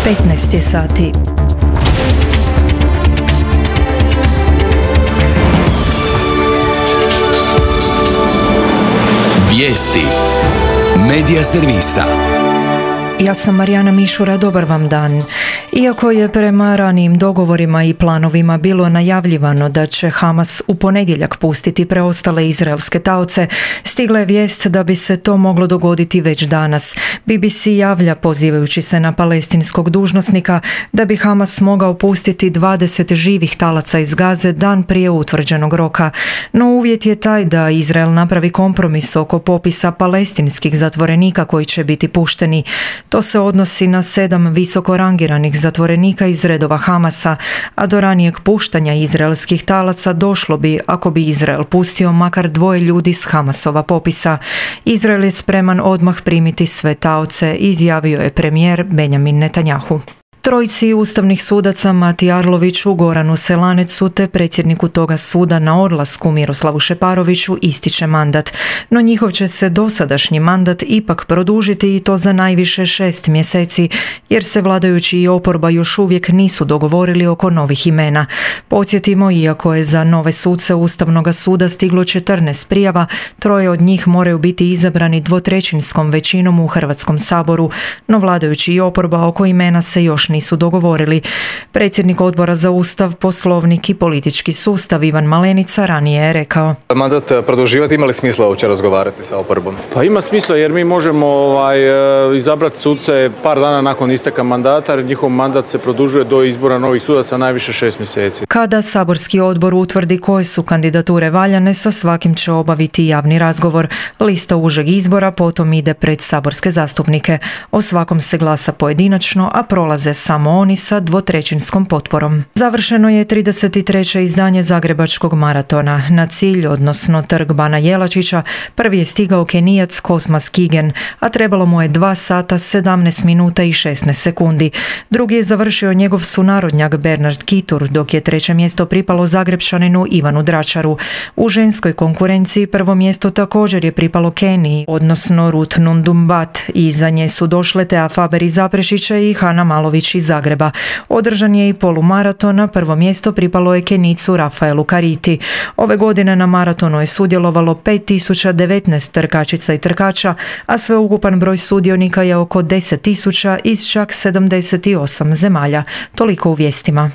15 je sati. Vijesti Medija servisa. Ja sam Marijana Mišura, dobar vam dan. Iako je prema ranijim dogovorima i planovima bilo najavljivano da će Hamas u ponedjeljak pustiti preostale izraelske taoce, stigla je vijest da bi se to moglo dogoditi već danas. BBC javlja, pozivajući se na palestinskog dužnosnika, da bi Hamas mogao pustiti 20 živih talaca iz Gaze dan prije utvrđenog roka. No uvjet je taj da Izrael napravi kompromis oko popisa palestinskih zatvorenika koji će biti pušteni. To se odnosi na 7 visoko rangiranih zatvorenika iz redova Hamasa, a do ranijeg puštanja izraelskih talaca došlo bi ako bi Izrael pustio makar 2 ljudi s Hamasova popisa. Izrael je spreman odmah primiti sve taoce, izjavio je premijer Benjamin Netanjahu. Trojici ustavnih sudaca Mati Arloviću, Goranu Selanecu te predsjedniku toga suda na odlasku Miroslavu Šeparoviću ističe mandat, no njihov će se dosadašnji mandat ipak produžiti i to za najviše 6 mjeseci, jer se vladajući i oporba još uvijek nisu dogovorili oko novih imena. Podsjetimo, iako je za nove suce Ustavnog suda stiglo 14 prijava, 3 od njih moraju biti izabrani 2/3 većinom u Hrvatskom saboru, no vladajući i oporba oko imena se još nisu dogovorili. Predsjednik Odbora za Ustav, Poslovnik i politički sustav Ivan Malenica ranije je rekao: mandat produživati, ima li smisla uopće razgovarati sa oporbom? Pa ima smisla jer mi možemo izabrati suce par dana nakon isteka mandata, jer njihov mandat se produžuje do izbora novih sudaca najviše 6 mjeseci. Kada saborski odbor utvrdi koje su kandidature valjane, sa svakim će obaviti javni razgovor. Lista užeg izbora potom ide pred saborske zastupnike. O svakom se glasa pojedinačno, a prolaze samo oni sa 2/3 potporom. Završeno je 33. izdanje Zagrebačkog maratona. Na cilj, odnosno trg Bana Jelačića, prvi je stigao Kenijac Cosmas Kigen, a trebalo mu je 2 sata 17 minuta i 16 sekundi. Drugi je završio njegov sunarodnjak Bernard Kitur, dok je 3. mjesto pripalo Zagrepšaninu Ivanu Dračaru. U ženskoj konkurenciji prvo mjesto također je pripalo Keniji, odnosno Ruth Nundumbat. Iza nje su došle Tea Faber iz Zaprešića i Hana Malović iz Zagreba. Održan je i polumaraton, a prvo mjesto pripalo je Kenicu Rafaelu Kariti. Ove godine na maratonu je sudjelovalo 5019 trkačica i trkača, a sveukupan broj sudionika je oko 10.000 iz čak 78 zemalja. Toliko u vijestima.